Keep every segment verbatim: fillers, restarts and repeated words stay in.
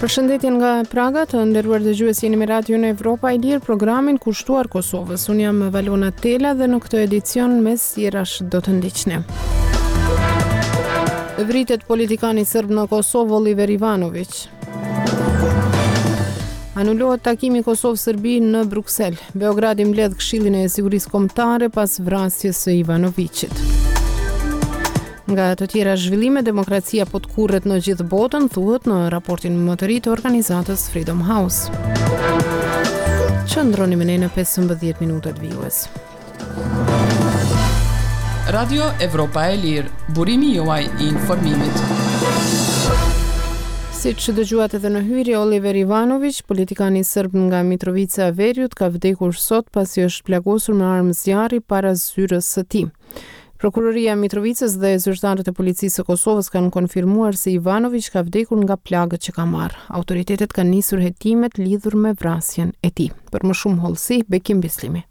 Përshëndetje nga Praga, të nderuar dëgjues, jeni me Radion Evropa e Lirë, programin kushtuar Kosovës. Unë jam Valona Tela dhe në këtë edicion mes tjerash do të ndiqni. Vritet politikani serb në Kosovë Oliver Ivanoviq. Anulohet takimi Kosovë-Serbi në Bruksel. Beogradi mbledh Këshillin e Sigurisë Kombëtare pas vrasjes së Ivanoviqit. Nga të tjera zhvillime, demokracia po tkurret në gjithë botën, thuhet në raportin më të ri të organizatës Freedom House. Qëndroni me ne në pesëmbëdhjetë minutat vijues. Radio Evropa e Lirë, burimi juaj i informimit. Siç dëgjuat edhe në hyrje, Oliver Ivanoviq, politikani serb nga Mitrovica e Veriut, ka vdekur sot pasi është plagosur me armë zjarri para zyrës së tij. Prokuroria e Mitrovicës dhe zyrtarët e policisë së Kosovës kanë konfirmuar se Ivanoviq ka vdekur nga plagët që ka marrë. Autoritetet kanë nisur hetimet lidhur me vrasjen e tij. Për më shumë hollësi, Bekim Bislimi.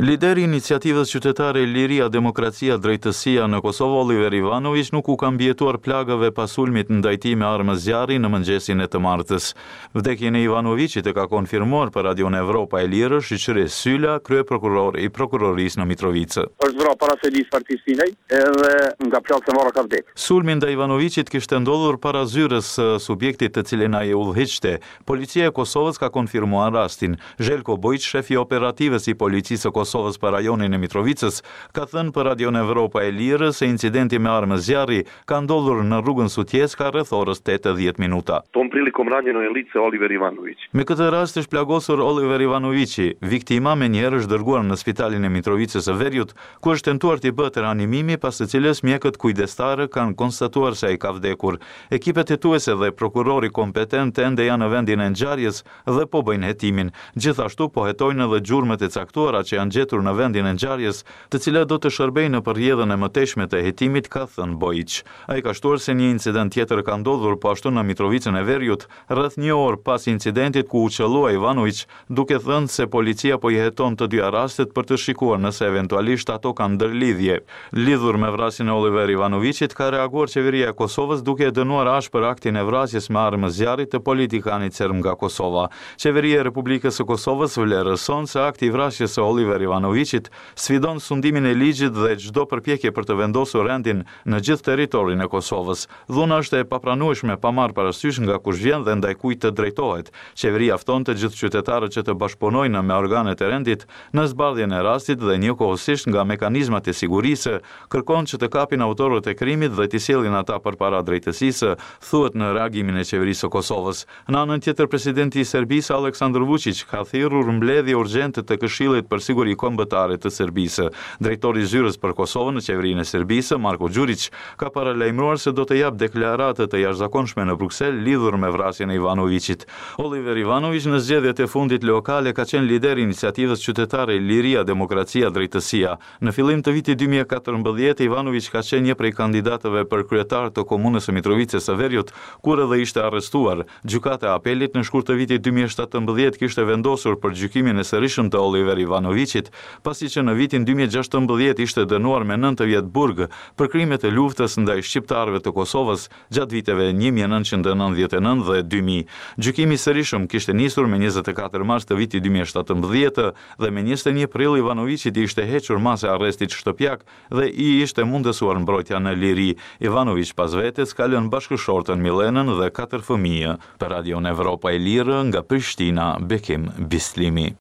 Lideri i iniciativës qytetare Liria, Demokracia, Drejtësia në Kosovë, Oliver Ivanoviq, nuk u ka mbijetuar plagëve pas sulmit ndaj tij me armë zjarri në mëngjesin e të martës. Vdekjen e Ivanoviqit e ka konfirmuar për Radion Evropa e Lirë Shyqyri Syla, kryeprokuror i prokurorisë në Mitrovicë. Është vra para selisë partisë edhe nga plagët e marra ka vdek. Sulmi ndaj Ivanoviqit kishte ndodhur para zyrës së subjektit të cilin ai udhëhiqte. Policia e Kosovës ka konfirmuar rastin. Zhelko Bojić, shefi operativës i policisë së Kosovës për rajonin e Mitrovicës, ka thënë për Radion Evropa e Lirë se incidenti me armë zjarri ka ndodhur në rrugën Sutjeska rreth orës tetë e dhjetë minuta. Tom prilikom ranjeno je lice Oliver Ivanović. Me këtë rast është plagosur Oliver Ivanoviqi. Viktima menjëherë është dërguar në spitalin e Mitrovicës së Veriut, ku është tentuar t'i bëhet reanimimi, pas së cilës mjekët kujdestarë kanë konstatuar se ai ka vdekur. Ekipet hetuese dhe prokurori kompetent ende janë në vendin e ngjarjes dhe po bëjnë hetimin. Gjithashtu po hetojnë edhe gjurmët e caktuara që janë gjetur në vendin e ngjarjes, të cilat do të shërbejnë në përrjedhën e mëtejshme të hetimit, ka thënë Bojić. Ai ka shtuar se një incident tjetër ka ndodhur po ashtu në Mitrovicën e Veriut, rreth një orë pas incidentit ku u qëllua Ivanoviq, duke thënë se policia po i heton të dyja rastet për të shikuar nëse eventualisht ato kanë ndërlidhje. Lidhur me vrasjen e Oliver Ivanoviqit ka reaguar qeveria e Kosovës duke e dënuar ashpër aktin e vrasjes me armë zjarri të politikanit serb nga Kosova. Qeveria e Republikës së Kosovës vlerëson se akti i vrasjes së Oliver Ivanoviqit sfidon sundimin e ligjit dhe çdo përpjekje për të vendosur rendin në gjithë territorin e Kosovës. Dhuna është e papranueshme pa marrë parasysh nga kush vjen dhe ndaj kujt të drejtohet. Qeveria fton të gjithë qytetarët që të bashkëpunojnë me organet e rendit në zbardhjen e rastit dhe njëkohësisht nga mekanizmat e sigurisë kërkon që të kapin autorët e krimit dhe t'i sjellin ata përpara drejtësisë, thuhet në reagimin e qeverisë së Kosovës. Në anën tjetër, presidenti i Serbisë Aleksandar Vučić ka thirrur mbledhje urgjente të Këshillit për Siguri Kombëtare të Serbisë. Drejtori i zyrës për Kosovën në qeverinë e Serbisë, Marko Gjurić, ka paralajmëruar se do të japë deklaratë të jashtëzakonshme në Bruksel lidhur me vrasjen e Ivanoviqit. Oliver Ivanoviq në zgjedhjet e fundit lokale ka qenë lider i iniciativës qytetare Liria, Demokracia, Drejtësia. Në fillim të vitit dy mijë e katërmbëdhjetë, Ivanoviq ka qenë një prej kandidatëve për kryetar të komunës së Mitrovicës së Veriut, kur edhe ishte arrestuar. Gjykata e Apelit në shkurt të vitit dy mijë e shtatëmbëdhjetë kishte vendosur për gjykimin e sërishëm të Oliver Ivanoviqit, pasi që në vitin dy mijë e gjashtëmbëdhjetë ishte dënuar me nëntë vjet burg për krimet e luftës ndaj shqiptarëve të Kosovës gjatë viteve një mijë e nëntëqind e nëntëdhjetë e nëntë dhe dy mijë. Gjykimi i sërishëm kishte nisur me njëzet e katër mars të vitit dy mijë e shtatëmbëdhjetë dhe me njëzet e një prill Ivanoviqit i ishte hequr masa e arrestit shtëpiak dhe i ishte mundësuar mbrojtja në liri. Ivanoviq pas vetes ka lënë bashkëshortën Milenën dhe katër fëmijë. Për Radion Evropa e Lirë nga Prishtina, Bekim Bislimi.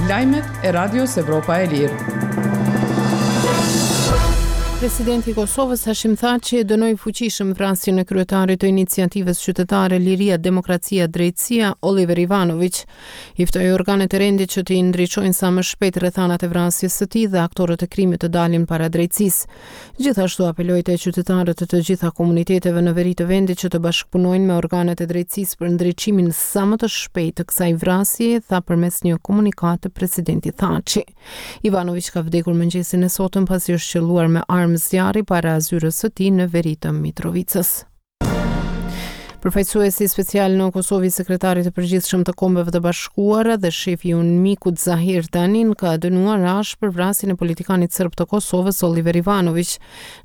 Lajmet e Radios Evropa e Lirë. Presidenti i Kosovës Hashim Thaçi e dënoi fuqishëm vrasjen e kryetarit të iniciativës qytetare Liria, Demokracia, Drejtësia, Oliver Ivanoviq. I ftoi organet e rendit që t'i ndriçojnë sa më shpejt rrethanat e vrasjes së tij dhe aktorët e krimit të dalin para drejtësisë. Gjithashtu apeloi te qytetarët e të gjitha komuniteteve në veri të vendit që të bashkëpunojnë me organet e drejtësisë për ndriçimin sa më të shpejtë të kësaj vrasjeje, tha përmes një komunikate presidenti Thaçi. Ivanoviq ka vdekur mëngjesin e sotëm pasi është qëlluar me armë zjarri para zyrës së tij në veri të Mitrovicës. Përfaqësuesi special në Kosovë i Sekretarit të Përgjithshëm të Kombeve të Bashkuara dhe shefi i UNMIK-ut Zahir Tanin ka dënuar ashpër vrasjen e politikanit serb të Kosovës Oliver Ivanoviq.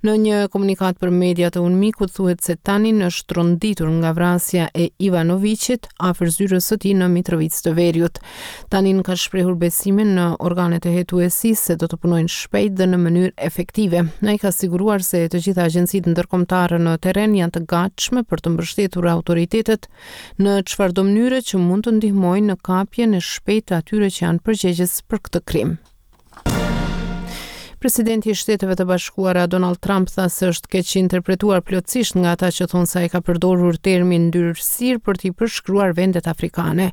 Në një komunikatë për mediat e UNMIK-ut thuhet se Tanin është tronditur nga vrasja e Ivanoviqit afër zyrës së tij në Mitrovicë të Veriut. Tanin ka shprehur besimin në organet e hetuesisë se do të punojnë shpejt dhe në mënyrë efektive. Ai ka siguruar se të gjitha agjencitë ndërkombëtare në terren janë të gatshme për të mbështetur autoritetet në çfarëdo mënyre që mund të ndihmojnë në kapjen e shpejtë të atyre që janë përgjegjës për këtë krim. Presidenti i Shteteve të Bashkuara Donald Trump tha se është keq interpretuar plotësisht nga ata që thonë se ai ka përdorur termin ndyrësirë për t'i përshkruar vendet afrikane.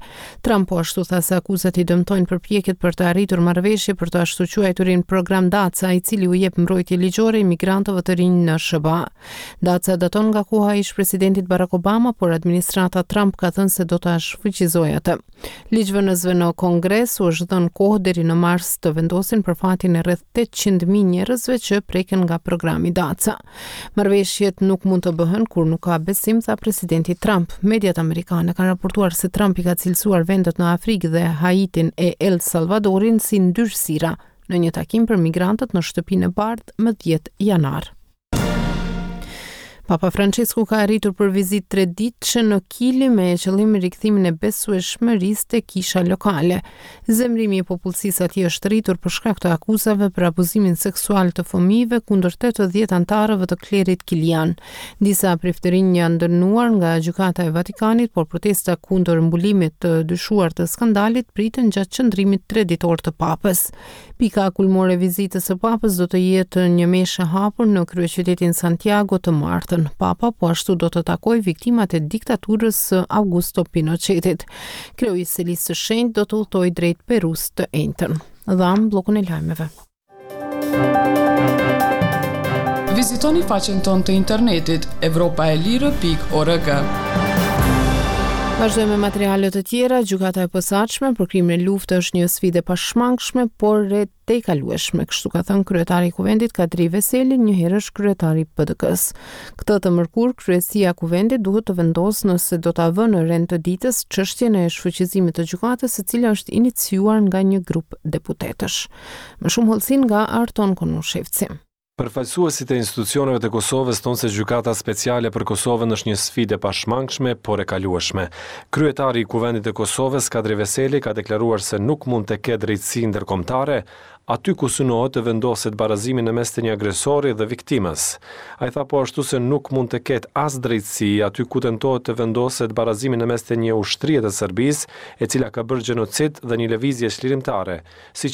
Trump po ashtu tha se akuzat i dëmtojnë përpjekjet për të arritur marrëveshje për të ashtuquajturin program DACA, i cili u jep mbrojtje ligjore imigrantëve të rinj në S H B A. DACA daton nga koha e ish presidentit Barack Obama, por administrata Trump ka thënë se do ta shfuqizojë atë. Ligjvënësve në Kongres u është dhënë kohë deri në mars të vendosin për fatin e rreth tetëqind mijë njerëzve që preken nga programi DACA. Marrëveshjet nuk mund të bëhen kur nuk ka besim, tha presidenti Trump. Mediat amerikane kanë raportuar se Trump i ka cilësuar vendet në Afrikë dhe Haitin e El Salvadorin si ndyrësira në një takim për migrantët në Shtëpinë e Bardhë më dhjetë janar. Papa Francesku ka arritur për vizitë tre ditëshe në Kili me qëllim rikthimin e besueshmërisë te kisha lokale. Zemrimi i popullsisë atje është rritur për shkak të akuzave për abuzimin seksual të fëmijëve kundër tetëdhjetë anëtarëve të klerit kilian. Disa priftërinj janë dënuar nga gjykata e Vatikanit, por protesta kundër mbulimit të dyshuar të skandalit priten gjatë qëndrimit tre ditor të papës. Pika kulmore e vizitës së papës do të jetë një meshë e hapur në kryeqytetin Santiago të martën. Papa po ashtu do të takojë viktimat e diktaturës së Augusto Pinochetit. Kreu i Selisë së Shenjtë do të udhtojë drejt Perus të enjten. Dham bllokun e lajmeve. Vizitoni faqen tonë të internetit evropa e lirë pikë org. Vazhdojmë me materiale të tjera. Gjykata e posaçme për krimin e luftës është një sfidë e pashmangshme, por e tejkalueshme, kështu ka thënë kryetari i Kuvendit Kadri Veseli, njëherësh kryetari i P D K-s. Këtë të mërkur, kryesia e Kuvendit duhet të vendosë nëse do ta vënë në rend të ditës çështjen e shfuqizimit të gjykatës, e cila është iniciuar nga një grup deputetësh. Më shumë hollësi nga Arton Konushevci. Përfaqësuesit e institucioneve të Kosovës thonë se gjykata speciale për Kosovën është një sfidë e pashmangshme, por e kalueshme. Kryetari i Kuvendit të Kosovës, Kadri Veseli, ka deklaruar se nuk mund të ketë drejtësi ndërkombëtare aty ku synohet të vendoset barazimi në mes të një agresori dhe viktimës. Ai tha po ashtu se nuk mund të ketë as drejtësi aty ku tentohet të vendoset barazimi në mes të një ushtrie të Serbisë, e cila ka bërë gjenocid dhe një lëvizje çlirimtare, siç